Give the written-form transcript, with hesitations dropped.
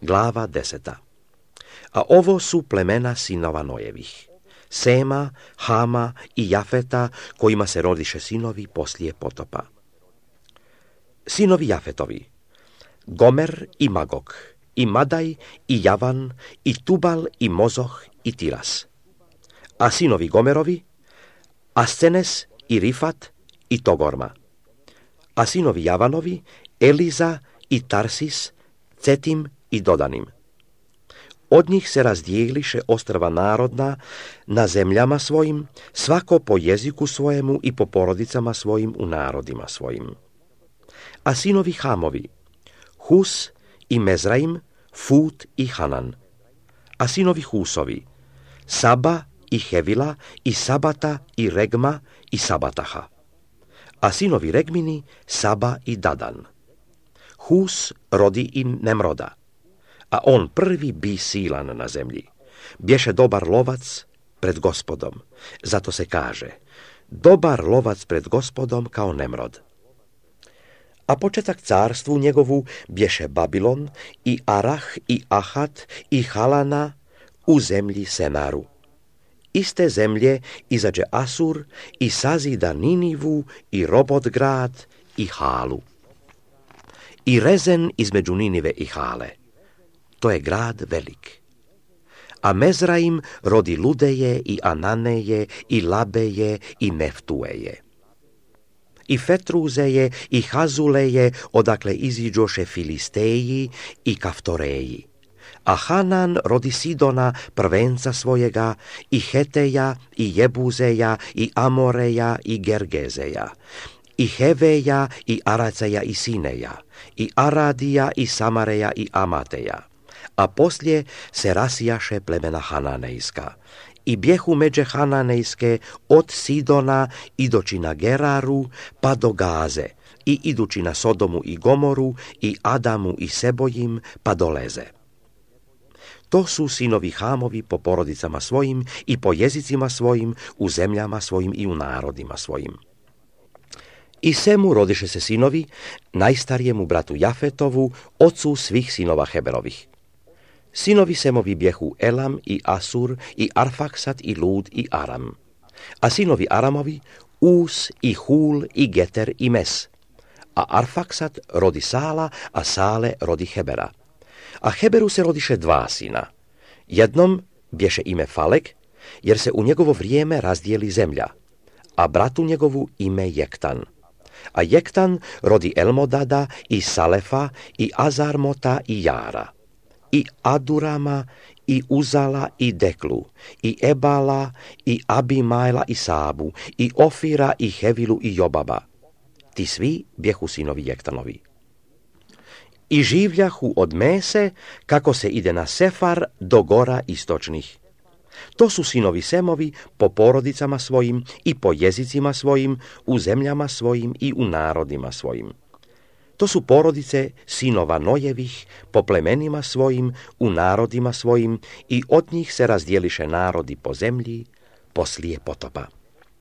Glava 10. A ovo su plemena sinova Nojevih: Sema, Hama i Jafeta, kojima se rodiše sinovi poslije potopa. Sinovi Jafetovi: Gomer i Magog, i Madaj, i Javan, i Tubal, i Mozoh, i Tiras. A sinovi Gomerovi: Ascenes, i Rifat, i Togorma. A sinovi Javanovi: Eliza, i Tarsis, Cetim i Dodanim. Od njih se razdijeliše ostrva narodna na zemljama svojim, svako po jeziku svojemu i po porodicama svojim u narodima svojim. A sinovi Hamovi: Hus i Mezraim, Fut i Hanan. A sinovi Husovi: Saba i Hevila, i Sabata, i Regma, i Sabataha. A sinovi Regmini: Saba i Dadan. Hus rodi im Nemroda, a on prvi bi silan na zemlji. Bješe dobar lovac pred Gospodom, zato se kaže: dobar lovac pred Gospodom kao Nemrod. A početak carstvu njegovu bješe Babilon, i Arah, i Ahat, i Halana u zemlji Senaru. Iste zemlje izađe Asur i sazida Ninivu, i Robot grad, i Halu. I Rezen između Ninive i Hale. To je grad velik. A Mezraim rodi Ludeje, i Ananeje, i Labeje, i Neftueje. I Fetruzeje, i Hazuleje, odakle iziđoše Filisteji i Kaftoreji. A Hanan rodi Sidona, prvenca svojega, i Heteja, i Jebuzeja, i Amoreja, i Gergezeja, i Heveja, i Araceja, i Sineja, i Aradija, i Samareja, i Amateja. A poslije se rasijaše plemena Hananejska. I bjehu međe Hananejske od Sidona idoći na Geraru pa do Gaze, i idući na Sodomu i Gomoru, i Adamu i Sebojim pa do Leze. To su sinovi Hamovi po porodicama svojim i po jezicima svojim, u zemljama svojim i u narodima svojim. I Semu rodiše se sinovi, najstarijemu bratu Jafetovu, ocu svih sinova Heberovih. Sinovi Semovi bjehu Elam, i Asur, i Arfaksat, i Lud, i Aram. A sinovi Aramovi: Us, i Hul, i Geter, i Mes. A Arfaksat rodi Sala, a Sale rodi Hebera. A Heberu se rodiše dva sina. Jednom bješe ime Falek, jer se u njegovo vrijeme razdijeli zemlja, a bratu njegovu ime Jektan. A Jektan rodi Elmodada, i Salefa, i Azarmota, i Jara, i Adurama, i Uzala, i Deklu, i Ebala, i Abimajla, i Sabu, i Ofira, i Hevilu, i Jobaba. Ti svi bjehu sinovi Jektanovi. I življahu od Mese, kako se ide na Sefar do gora istočnih. To su sinovi Semovi po porodicama svojim i po jezicima svojim, u zemljama svojim i u narodima svojim. To su porodice sinova Nojevih po plemenima svojim, u narodima svojim, i od njih se razdjeliše narodi po zemlji poslije potopa.